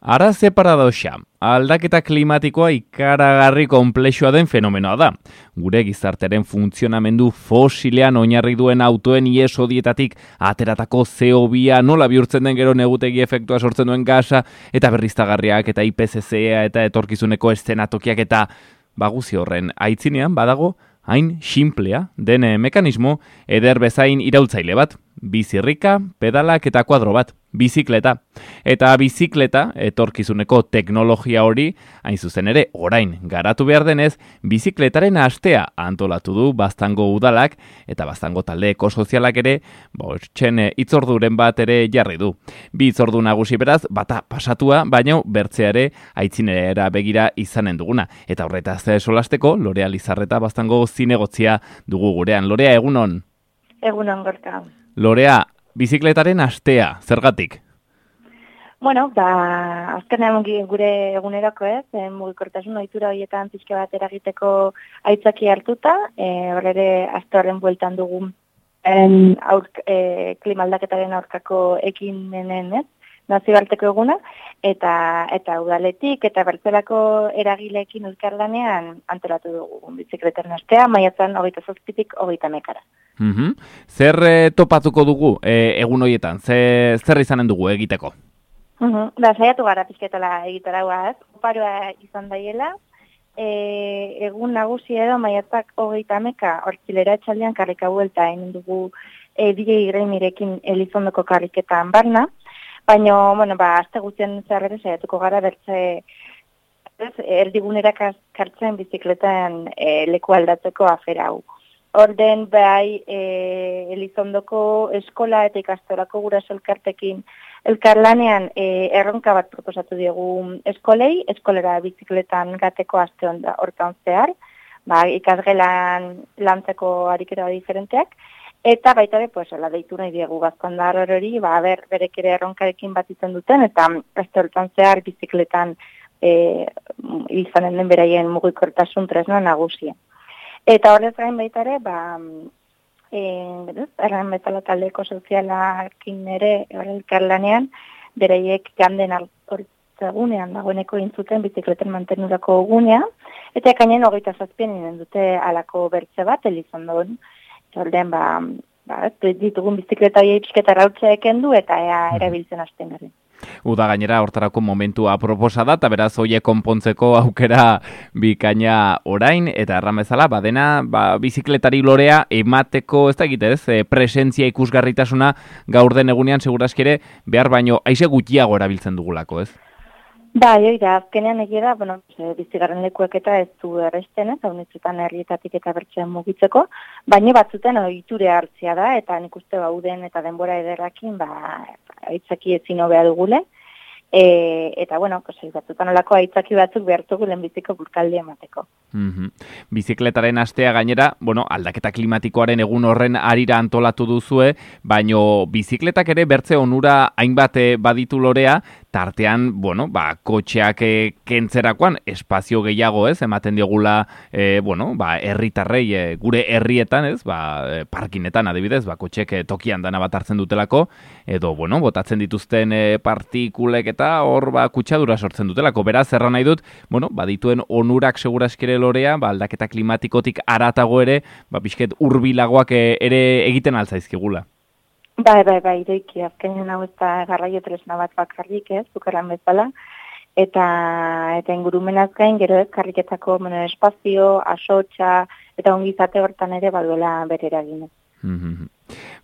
Ara ze paradoxa, aldaketa klimatikoa ikaragarri konplexua den fenomenoa da. Gure gizartearen funtzionamendu fosilean oinarri duen autoen iesodietatik ateratako CO2 nola bihurtzen den gero negutegi efektua sortzen duen gasa, eta berriztagarriak eta IPCC-a eta etorkizuneko eszenatokiak eta baguzi horren aitzinean badago hain simplea den mekanismo eder bezain iraultzaile bat. Bizirrika, pedalak eta kuadro bat, bizikleta. Eta bizikleta, etorkizuneko teknologia hori, hain zuzen ere, orain garatu behar denez, bizikletaren astea antolatu du Baztango udalak, eta Baztango talde ekosozialak ere, hitzorduren bat ere jarri du. Bi hitzordu nagusi beraz, bata pasatua, baina bertzeare aitzinera begira izanen duguna. Eta horretaz solasteko, Lorea Lizarreta Baztango zinegotzia dugu gurean. Lorea, egunon? Egunon, Gorka. Lorea, bizikletaren astea, zergatik? Bueno, azkenean gure egunerako mugikortasun ohitura horietan pixka bat eragiteko aitzaki hartuta, horre aste horren bueltan dugu klimaldaketaren aurkako ekimenen, nazioarteko eguna, eta udaletik eta bertzelako eragileekin elkarlanean antolatu dugu bizikletaren astea, maiatzan 27-tik 30-ekara. Zer topatuko dugu egun horietan? Zer izanen dugu egiteko? Saiatu gara pixketala egitara guaz. Oparoa izan daiela, egun nagusi edo maiatzak 30-eka hortzilera etxaldean karrika buelta egin dugu DJ Greimirekin Elizondoko karriketan barna, baina, azte guztien zerrere saiatuko gara bertze erdigunera kartzen bizikletan leku aldatzeko afera hau. Orden bai Elizondoko eskola eta ikastorako guraso elkartekin elkarlanean erronka bat proposatu diegu eskolera bizikletan gateko aste hortan zehar, ikasgelan lantzeko ariketa diferenteak, eta baita ere, deitu nahi diegu gazkondar hori, berek ere erronkarekin bat izan duten, eta aste hortan zehar bizikletan izanen den beraien mugikortasun tresna nagusia. Eta horrez gain baita ere, erran bezala taldeko sozialakin ere elkarlanean, beraiek ganden hortzegunean dagoeneko intzuten bizikleten mantenurako gunea, eta ekainen 27an inen dute alako bertze bat, Elizondon. Horren, ditugun bizikleta hori pixketa rautzea ekendu eta erabiltzen hasten garen. Uda gainera hortarako momentua proposa da, eta beraz hoiek konpontzeko aukera bikaina orain, eta erran bezala, badena bizikletari Lorea emateko, ez da egitez, presentzia ikusgarritasuna gaur den egunean segurazki ere behar baino aize gutxiago erabiltzen dugulako, ez? Azkenean egia da, bizigarren lekuek eta ez du erresten, haunitzutan herrietatik eta bertzean mugitzeko, baina batzuten ohiture hartzia da, eta nik uste uden eta denbora ederrakin, aitzaki ezin hobea dugule, eta, batzutan olako aitzaki batzuk behartugu lehenbiziko burkaldi emateko. Bizikletaren astea gainera, aldaketa klimatikoaren egun horren arira antolatu duzue, baino bizikletak ere bertze onura hainbat baditu Lorea, tartean, kotxeak kentzerakoan espazio gehiago, ematen diogula, herritarrei gure herrietan, parkinetan adibidez, kotxeek tokian dana bat hartzen dutelako, edo, botatzen dituzten partikulek eta hor kutsadura sortzen dutelako. Beraz, erran nahi dut, badituen onurak seguraskere Lorea, aldaketa klimatikotik aratago ere, pixket hurbilagoak ere egiten altzaizkigula. Ireiki, azkenean hau ez da garraio tresna bat bakarrik, zukerran bezala, eta ingurumenaz gain, gero karriketako espazio, asotxa, eta ongizate hortan ere baduela bere eragin.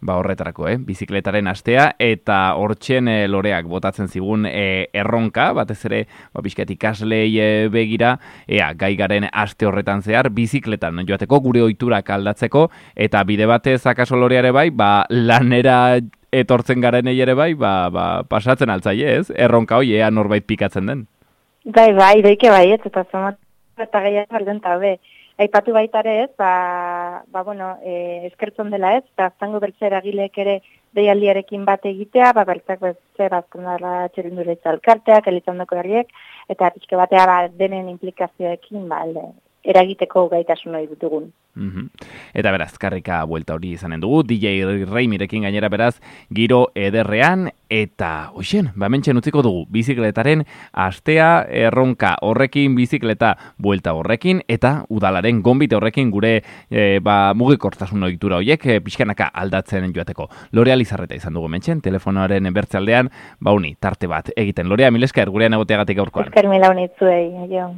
Horretarako, bizikletaren astea, eta hortzen Loreak botatzen zigun erronka, batez ere, pixkat ikaslei begira, gai garen aste horretan zehar, bizikletan joateko gure ohiturak aldatzeko, eta bide batez akaso Loreare bai, lanera etortzen garenei ere bai, pasatzen altzaile, ez? Erronka hoi, norbait pikatzen den. Ireike ez, eta zomat, eta gehiago alden tabe. Aipatu baitare ez, eskertzen dela ez, Baztango bertze eragileek ere deialdiarekin bat egitea, bertzak bertze Bazkondara txerinduletza elkarteak, Elizondoko herriek, eta pixke batea denen implikazioekin eragiteko gaitasun hori dugun. Eta beraz, karrika buelta hori izanen dugu, DJ Reimirekin gainera beraz, giro ederrean, eta hoxen, mentxen utziko dugu, bizikletaren astea erronka horrekin, bizikleta buelta horrekin, eta udalaren gonbite horrekin gure mugikortasun ohitura horiek pixkanaka aldatzen joateko. Lorea Lizarreta izan dugu mentxen, telefonoaren bertzealdean, tarte bat egiten. Lorea, mil esker, gurean egoteagatik gaurkoan. Esker mila honitzuei, jo.